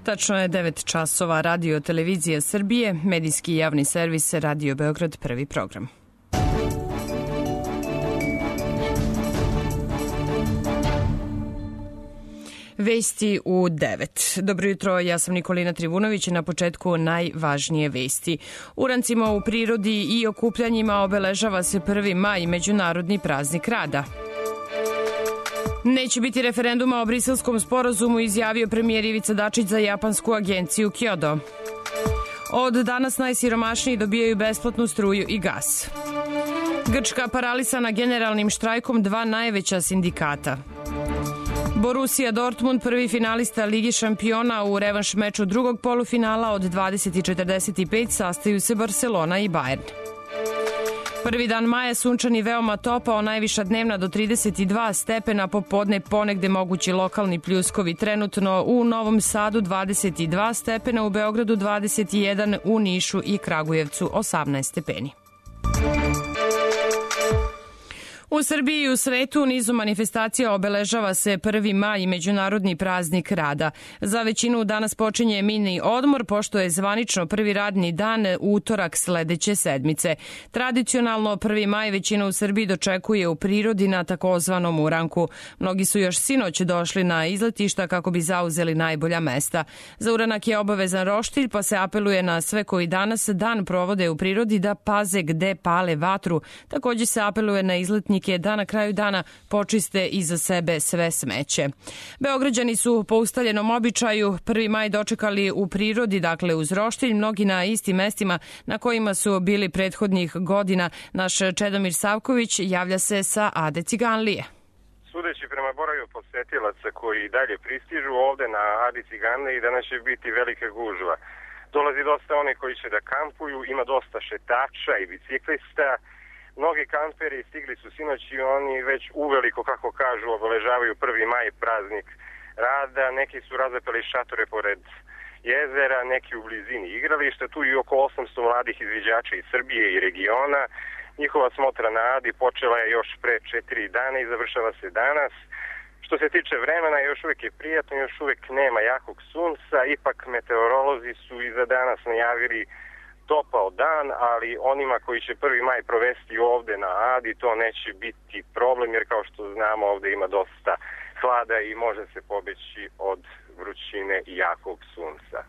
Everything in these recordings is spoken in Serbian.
Tačno je 9 časova. Radio Televizija Srbije, medijski javni servis Radio Beograd, prvi program. Vesti u 9. Dobro jutro, ja sam Nikolina Trivunović i na početku najvažnije vesti. Urancima u prirodi i okupljanjima obeležava se 1. maj, Međunarodni praznik rada. Neće biti referenduma o Briselskom sporazumu, izjavio premijer Ivica Dačić za japansku agenciju Kyodo. Od danas najsiromašniji dobijaju besplatnu struju i gas. Grčka paralisana generalnim štrajkom 2 najveća sindikata. Borussia Dortmund, prvi finalista Ligi šampiona, u revanš meču drugog polufinala od 20:45 sastaju se Barcelona i Bayern. Prvi dan maja sunčan i veoma topao, najviša dnevna do 32 stepena, popodne ponegde mogući lokalni pljuskovi. Trenutno u Novom Sadu 22 stepena, u Beogradu 21, u Nišu i Kragujevcu 18 stepeni. U Srbiji i u svetu u nizu manifestacija obeležava se 1. maj, Međunarodni praznik rada. Za većinu danas počinje mini odmor, pošto je zvanično prvi radni dan utorak sledeće sedmice. Tradicionalno 1. maj većina u Srbiji dočekuje u prirodi na takozvanom uranku. Mnogi su još sinoć došli na izletišta kako bi zauzeli najbolja mesta. Za uranak je obavezan roštilj, pa se apeluje na sve koji danas dan provode u prirodi da paze gde pale vatru. Takođe se apeluje na izletnike da na kraju dana počiste iza sebe sve smeće. Beograđani su po ustaljenom običaju 1. maj dočekali u prirodi, dakle uz roštilj, mnogi na istim mestima na kojima su bili prethodnih godina. Naš Čedomir Savković javlja se sa Ade Ciganlije. Sudeći prema broju posetilaca koji dalje pristižu ovde na Adi Ciganliji, danas će biti velika gužva. Dolazi dosta onih koji će da kampuju, ima dosta šetača i biciklista. Mnogi kamperi stigli su sinoć i oni već uveliko, kako kažu, obeležavaju 1. maj, praznik rada. Neki su razapeli šatore pored jezera, neki u blizini igrališta. Tu i oko 800 mladih izviđača iz Srbije i regiona. Njihova smotra na Adi počela je još pre 4 dana i završava se danas. Što se tiče vremena, još uvek je prijatno, još uvek nema jakog sunca. Ipak meteorolozi su i za danas najavili topao dan, ali onima koji će 1. maj provesti ovde na Adi to neće biti problem, jer kao što znamo ovde ima dosta hlada i može se pobeći od vrućine i jakog sunca.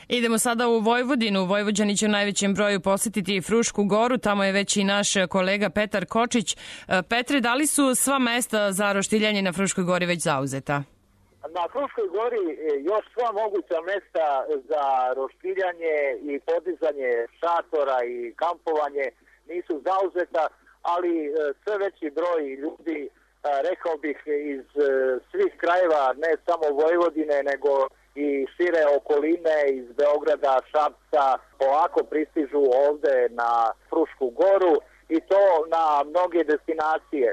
Idemo sada u Vojvodinu. Vojvođani će u najvećem broju posetiti Frušku goru, tamo je već i naš kolega Petar Kočić. Petre, da li su sva mesta za roštiljanje na Fruškoj gori već zauzeta? Na Fruškoj gori još sva moguća mesta za roštiljanje i podizanje šatora i kampovanje nisu zauzeta, ali sve veći broj ljudi, rekao bih iz svih krajeva, ne samo Vojvodine, nego i šire okoline, iz Beograda, Šapca, polako pristižu ovde na Frušku goru i to na mnoge destinacije.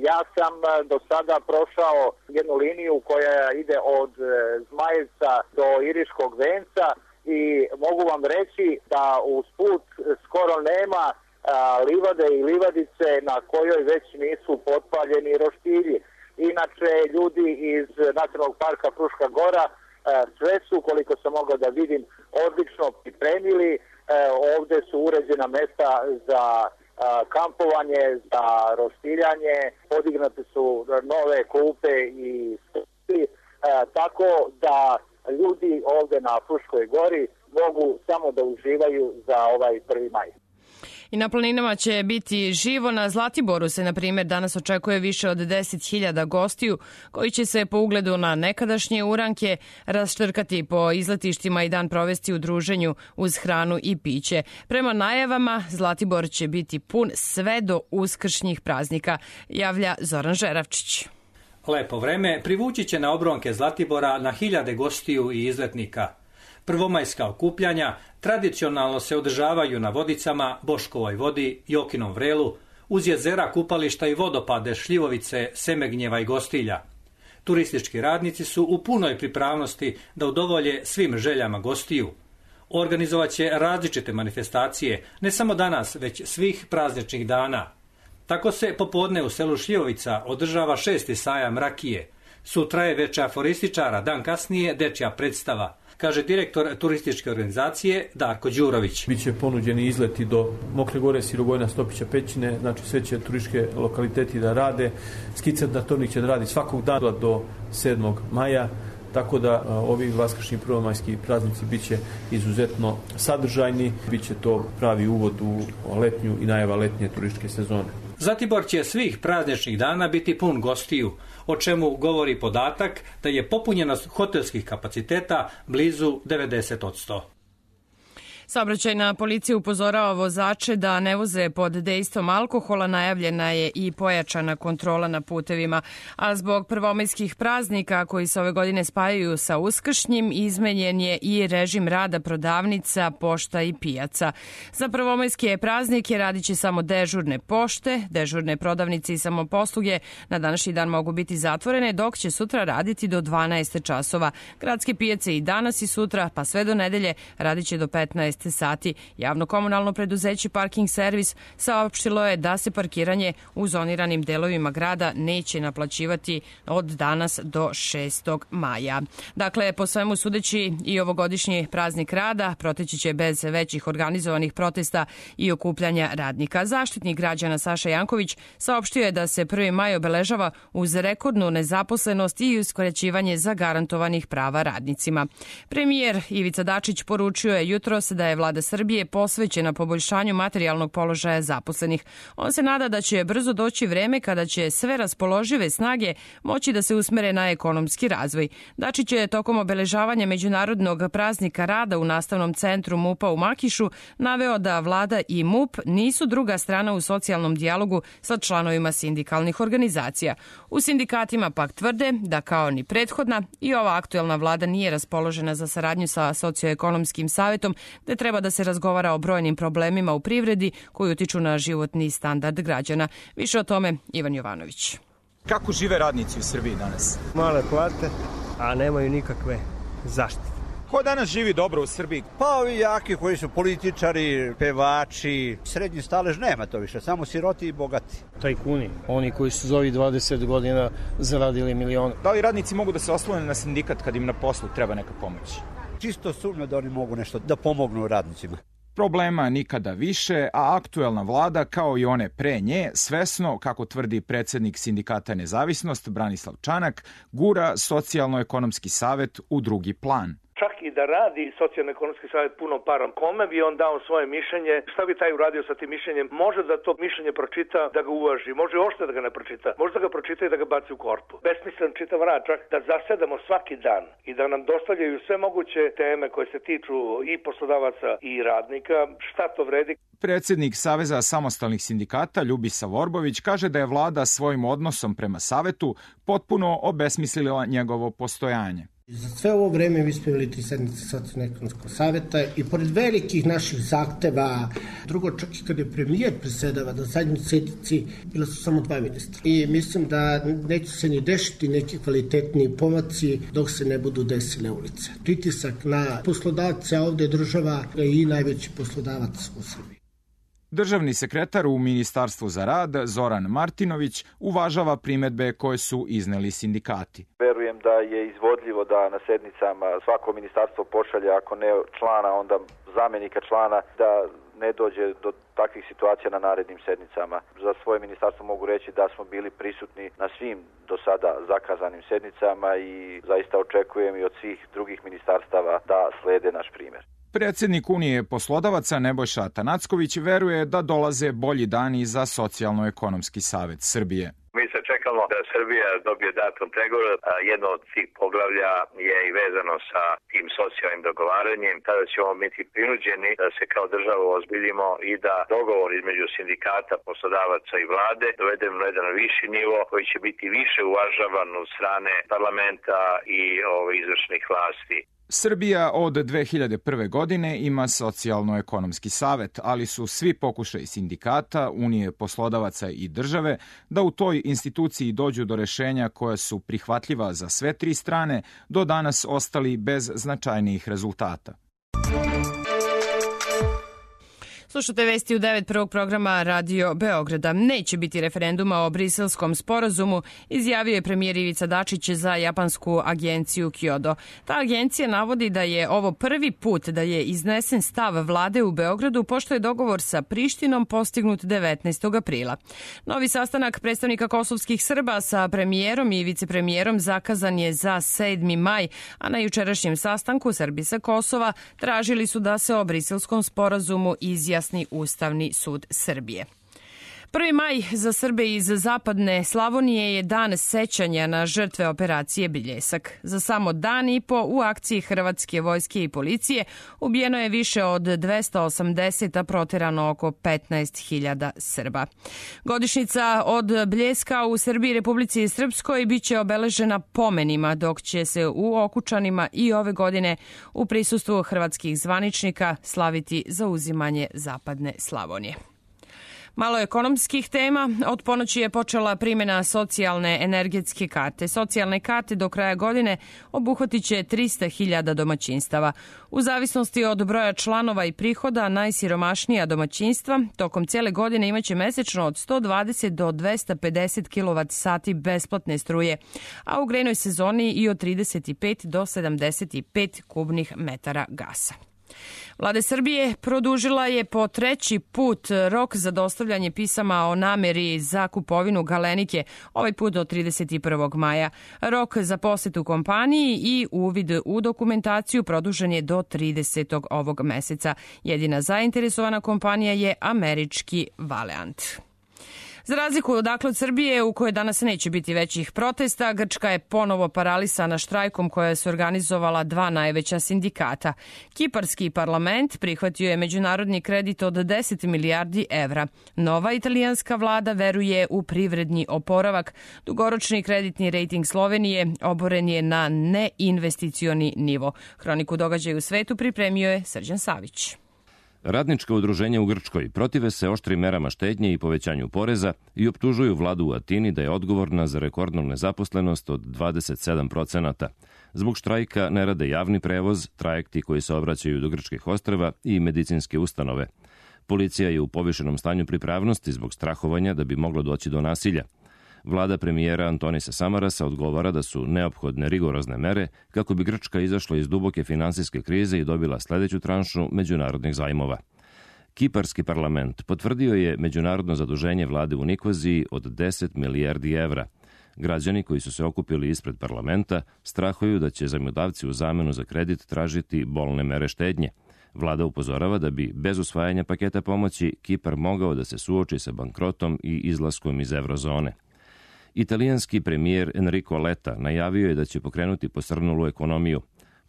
Ja sam do sada prošao jednu liniju koja ide od Zmajevca do Iriškog venca i mogu vam reći da uz put skoro nema livade i livadice na kojoj već nisu potpaljeni roštilji. Inače, ljudi iz Nacionalnog parka Fruška gora sve su, koliko sam mogao da vidim, odlično pripremili. Ovde su uređena mesta za kampovanje, za roštiljanje, podignute su nove klupe i stoli, tako da ljudi ovde na Fruškoj gori mogu samo da uživaju za ovaj 1. maj. I na planinama će biti živo. Na Zlatiboru se, na primjer, danas očekuje više od 10.000 gostiju koji će se po ugledu na nekadašnje uranke raštrkati po izletištima i dan provesti u druženju uz hranu i piće. Prema najavama, Zlatibor će biti pun sve do uskršnjih praznika, javlja Zoran Žeravčić. Lepo vreme privući će na obronke Zlatibora na hiljade gostiju i izletnika. Prvomajska okupljanja tradicionalno se održavaju na Vodicama, Boškovoj vodi, Jokinom vrelu, uz jezera, kupališta i vodopade Šljivovice, Semegnjeva i Gostilja. Turistički radnici su u punoj pripravnosti da udovolje svim željama gostiju. Organizovaće različite manifestacije, ne samo danas, već svih prazničnih dana. Tako se popodne u selu Šljivovica održava 6. sajam rakije. Sutra je večer aforističara, dan kasnije dečja predstava, kaže direktor turističke organizacije Darko Đurović. Biće ponuđeni izleti do Mokre Gore, Sirogojna, Stopića, Pećine, znači sve će turističke lokaliteti da rade. Skicer Tornik će da radi svakog dana do 7. maja, tako da ovi vaskršnji prvomajski praznici biće izuzetno sadržajni, biće to pravi uvod u letnju i najava letnje turističke sezone. Zlatibor će svih prazničnih dana biti pun gostiju, o čemu govori podatak da je popunjenost hotelskih kapaciteta blizu 90%. Saobraćajna policija upozorava vozače da ne voze pod dejstvom alkohola, najavljena je i pojačana kontrola na putevima, a zbog prvomajskih praznika koji se ove godine spajaju sa uskršnjim, izmenjen je i režim rada prodavnica, pošta i pijaca. Za prvomajske praznike radit će samo dežurne pošte, dežurne prodavnice i samoposluge na današnji dan mogu biti zatvorene, dok će sutra raditi do 12 časova. Gradske pijace i danas i sutra, pa sve do nedelje, radit će do 15 sati. Javno komunalno preduzeće Parking Servis saopštilo je da se parkiranje u zoniranim delovima grada neće naplaćivati od danas do 6. maja. Dakle, po svemu sudeći i ovogodišnji praznik rada proteći će bez većih organizovanih protesta i okupljanja radnika. Zaštitnik građana Saša Janković saopštio je da se 1. maj obeležava uz rekordnu nezaposlenost i uskraćivanje zagarantovanih prava radnicima. Premijer Ivica Dačić poručio je jutros da je Vlada Srbije posvećena poboljšanju materijalnog položaja zaposlenih. On se nada da će brzo doći vreme kada će sve raspoložive snage moći da se usmere na ekonomski razvoj. Dačić je tokom obeležavanja Međunarodnog praznika rada u nastavnom centru MUP-a u Makišu naveo da Vlada i MUP nisu druga strana u socijalnom dijalogu sa članovima sindikalnih organizacija. U sindikatima pak tvrde da kao ni prethodna i ova aktuelna Vlada nije raspoložena za saradnju sa socioekonomskim savetom, gde treba da se razgovara o brojnim problemima u privredi koji utiču na životni standard građana. Više o tome Ivan Jovanović. Kako žive radnici u Srbiji danas? Male plate, a nemaju nikakve zaštite. Ko danas živi dobro u Srbiji? Pa ovi jaki koji su političari, pevači, srednji stalež nema to više, samo siroti i bogati. Tajkuni, oni koji su za ovih 20 godina zaradili milione. Da li radnici mogu da se oslone na sindikat kad im na poslu treba neka pomoć? Čisto sumnja da oni mogu nešto da pomognu radnicima. Problema nikada više, a aktuelna vlada, kao i one pre nje, svesno, kako tvrdi predsjednik Sindikata Nezavisnost Branislav Čanak, gura Socijalno-ekonomski savet u drugi plan. Čak i da radi socijalno-ekonomski savjet punom parom, kome bi on dao svoje mišljenje, šta bi taj uradio sa tim mišljenjem, može da to mišljenje pročita, da ga uvaži, može ošte da ga ne pročita, može da ga pročita i da ga baci u korpu. Besmislen čitav rad, čak da zasedamo svaki dan i da nam dostavljaju sve moguće teme koje se tiču i poslodavaca i radnika, šta to vredi? Predsjednik Saveza samostalnih sindikata Ljubisa Vorbović kaže da je vlada svojim odnosom prema savetu potpuno obesmislila njegovo postojanje. Za sve ovo vreme mi smo imali 3 sednice Socijalno-ekonomskog saveta i pored velikih naših zahteva, drugo čak i kada je premijer presedava na zadnjoj sednici, bila su samo 2 ministra. I mislim da neće se ni dešiti neki kvalitetni pomaci dok se ne budu desile ulice. Pritisak na poslodavce, a ovde je država i najveći poslodavac u Srbiji. Državni sekretar u Ministarstvu za rad Zoran Martinović uvažava primedbe koje su izneli sindikati. Verujem da je izvodljivo da na sednicama svako ministarstvo pošalje, ako ne člana, onda zamenika člana, da ne dođe do takvih situacija na narednim sednicama. Za svoje ministarstvo mogu reći da smo bili prisutni na svim do sada zakazanim sednicama i zaista očekujem i od svih drugih ministarstava da slede naš primjer. Predsjednik Unije poslodavaca Nebojša Atanacković veruje da dolaze bolji dani za Socijalno-ekonomski savet Srbije. Mi se čekamo da Srbija dobije datum pregovora. Jedno od tih poglavlja je i vezano sa tim socijalnim dogovaranjem. Tada ćemo biti prinuđeni da se kao država ozbiljimo i da dogovor između sindikata, poslodavaca i vlade dovedemo na jedan viši nivo koji će biti više uvažavan od strane parlamenta i izvršnih vlasti. Srbija od 2001. godine ima Socijalno-ekonomski savet, ali su svi pokušaji sindikata, Unije poslodavaca i države da u toj instituciji dođu do rešenja koja su prihvatljiva za sve 3 strane, do danas ostali bez značajnijih rezultata. Slušate vesti u 9 prvog programa Radio Beograda. Neće biti referenduma o briselskom sporazumu, izjavio je premijer Ivica Dačić za japansku agenciju Kyodo. Ta agencija navodi da je ovo prvi put da je iznesen stav vlade u Beogradu, pošto je dogovor sa Prištinom postignut 19. aprila. Novi sastanak predstavnika kosovskih Srba sa premijerom i vicepremijerom zakazan je za 7. maj, a na jučerašnjem sastanku Srbi sa Kosova tražili su da se o briselskom sporazumu izjasni Ustavni sud Srbije. 1. maj za Srbe iz zapadne Slavonije je dan sećanja na žrtve operacije Bljesak. Za samo dan i po u akciji Hrvatske vojske i policije ubijeno je više od 280, a proterano oko 15.000 Srba. Godišnjica od Bljeska u Srbiji i Republici Srpskoj biće obeležena pomenima, dok će se u Okučanima i ove godine u prisustvu hrvatskih zvaničnika slaviti zauzimanje zapadne Slavonije. Malo ekonomskih tema. Od ponoći je počela primjena socijalne energetske karte. Socijalne karte do kraja godine obuhvatit će 300.000 domaćinstava. U zavisnosti od broja članova i prihoda, najsiromašnija domaćinstva tokom cijele godine imaće mesečno od 120 do 250 kWh besplatne struje, a u grejnoj sezoni i od 35 do 75 kubnih metara gasa. Vlada Srbije produžila je po treći put rok za dostavljanje pisama o nameri za kupovinu Galenike, ovaj put do 31. maja. Rok za posjetu kompaniji i uvid u dokumentaciju produžen je do 30. ovog meseca. Jedina zainteresovana kompanija je američki Valeant. Za razliku od Srbije, u kojoj danas neće biti većih protesta, Grčka je ponovo paralisana štrajkom koja se organizovala dva najveća sindikata. Kiparski parlament prihvatio je međunarodni kredit od 10 milijardi evra. Nova italijanska vlada veruje u privredni oporavak. Dugoročni kreditni rejting Slovenije oboren je na neinvesticioni nivo. Hroniku događaja u svetu pripremio je Srđan Savić. Radnička udruženja u Grčkoj protive se oštrim merama štednje i povećanju poreza i optužuju vladu u Atini da je odgovorna za rekordnu nezaposlenost od 27%. Zbog štrajka ne rade javni prevoz, trajekti koji se obraćaju do grčkih ostrva i medicinske ustanove. Policija je u povišenom stanju pripravnosti zbog strahovanja da bi moglo doći do nasilja. Vlada premijera Antonisa Samarasa odgovara da su neophodne rigorozne mere kako bi Grčka izašla iz duboke finansijske krize i dobila sledeću tranšu međunarodnih zajmova. Kiparski parlament potvrdio je međunarodno zaduženje vlade u Nikoziji od 10 milijardi evra. Građani koji su se okupili ispred parlamenta strahuju da će zajmodavci u zamenu za kredit tražiti bolne mere štednje. Vlada upozorava da bi bez usvajanja paketa pomoći Kipar mogao da se suoči sa bankrotom i izlaskom iz eurozone. Italijanski premijer Enrico Letta najavio je da će pokrenuti posrnulu ekonomiju.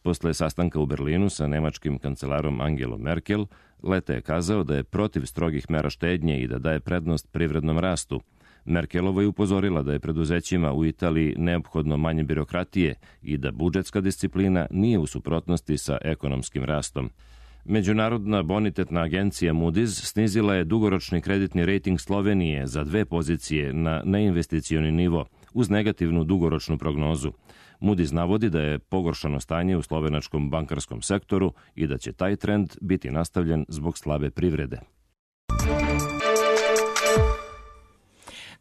Posle sastanka u Berlinu sa nemačkim kancelarom Angelom Merkel, Letta je kazao da je protiv strogih mera štednje i da daje prednost privrednom rastu. Merkelova je upozorila da je preduzećima u Italiji neophodno manje birokratije i da budžetska disciplina nije u suprotnosti sa ekonomskim rastom. Međunarodna bonitetna agencija Moody's snizila je dugoročni kreditni rejting Slovenije za 2 pozicije na neinvesticioni nivo uz negativnu dugoročnu prognozu. Moody's navodi da je pogoršano stanje u slovenačkom bankarskom sektoru i da će taj trend biti nastavljen zbog slabe privrede.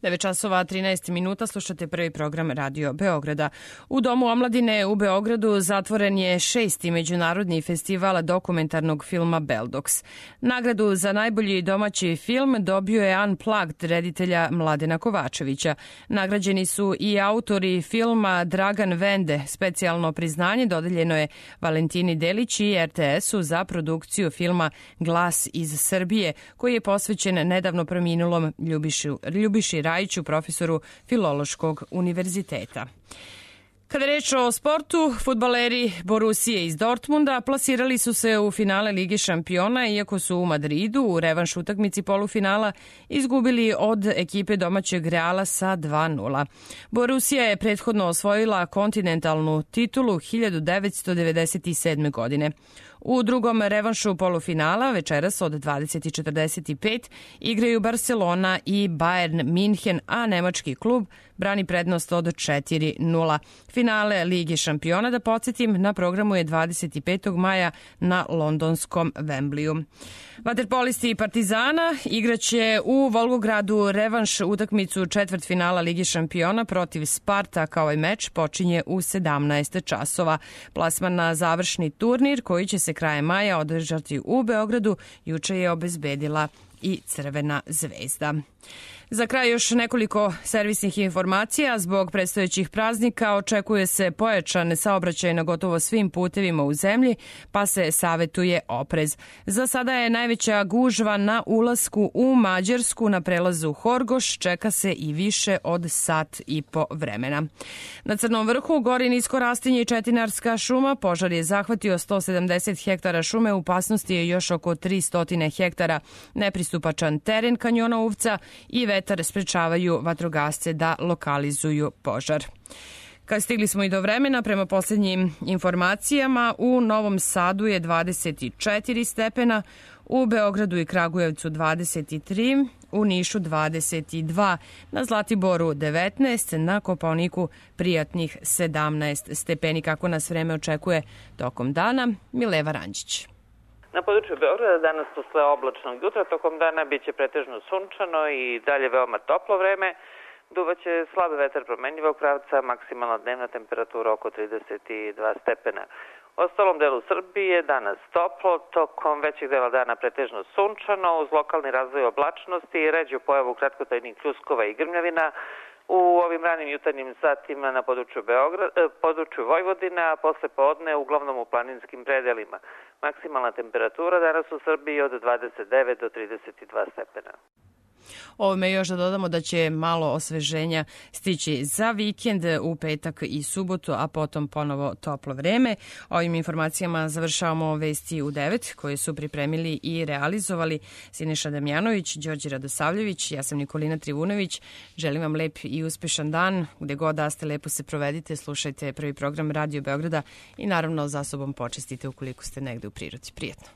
9 časova 13 minuta, slušate prvi program Radio Beograda. U Domu omladine u Beogradu zatvoren je 6. međunarodni festival dokumentarnog filma Beldox. Nagradu za najbolji domaći film dobio je Unplugged reditelja Mladena Kovačevića. Nagrađeni su i autori filma Dragan Vende. Specijalno priznanje dodeljeno je Valentini Delić i RTS-u za produkciju filma Glas iz Srbije, koji je posvećen nedavno preminulom Ljubiši Rajiću, profesoru Filološkog univerziteta. Kada je reč o sportu, fudbaleri Borusije iz Dortmunda plasirali su se u finale Lige šampiona, iako su u Madridu u revanš utakmici polufinala izgubili od ekipe domaćeg Reala sa 2:0. Borusija je prethodno osvojila kontinentalnu titulu 1997. godine. U drugom revanšu polufinala večeras od 20:45 igraju Barcelona i Bayern Minhen, a nemački klub brani prednost od 4:0. Finale Lige šampiona, da podsjetim, na programu je 25. maja na londonskom Wembleyu. Vaterpolisti Partizana igraće u Volgogradu revanš utakmicu četvrtfinala Lige šampiona protiv Spartaka. Ovaj meč počinje u 17 časova. Plasman na završni turnir koji će se krajem maja održati u Beogradu juče je obezbedila i Crvena zvezda. Za kraj još nekoliko servisnih informacija. Zbog predstojećih praznika očekuje se pojačan saobraćaj na gotovo svim putevima u zemlji, pa se savetuje oprez. Za sada je najveća gužva na ulasku u Mađarsku na prelazu Horgoš, čeka se i više od sat i po vremena. Na Crnom vrhu gori nisko rastinje i četinarska šuma. Požar je zahvatio 170 hektara šume, u opasnosti je još oko 300 hektara. Nepristupačan teren kanjona Uvca i vetar sprečavaju vatrogasce da lokalizuju požar. Kad stigli smo i do vremena, prema posljednjim informacijama, u Novom Sadu je 24 stepena, u Beogradu i Kragujevcu 23, u Nišu 22, na Zlatiboru 19, na Kopaoniku prijatnih 17 stepeni. Kako nas vreme očekuje tokom dana, Mileva Ranđić. Na području Beograda danas posle oblačnog jutra tokom dana biće pretežno sunčano i dalje veoma toplo vreme. Duvaće slab vetar promenljivog pravca, maksimalna dnevna temperatura oko 32 stepena. U ostalom delu Srbije danas toplo, tokom većeg dela dana pretežno sunčano, uz lokalni razvoj oblačnosti i ređu pojavu kratkotrajnih pljuskova i grmljavina. U ovim ranim jutarnjim satima na području Vojvodina, a posle podne uglavnom u planinskim predelima. Maksimalna temperatura danas u Srbiji od 29 do 32 stepena. Ovome još da dodamo da će malo osveženja stići za vikend, u petak i subotu, a potom ponovo toplo vreme. Ovim informacijama završavamo vesti u 9 koje su pripremili i realizovali Siniša Damjanović, Đorđe Radosavljević, ja sam Nikolina Trivunović. Želim vam lep i uspešan dan, gde god da ste, lepo se provedite, slušajte prvi program Radio Beograda i naravno za sobom počistite ukoliko ste negde u prirodi. Prijetno.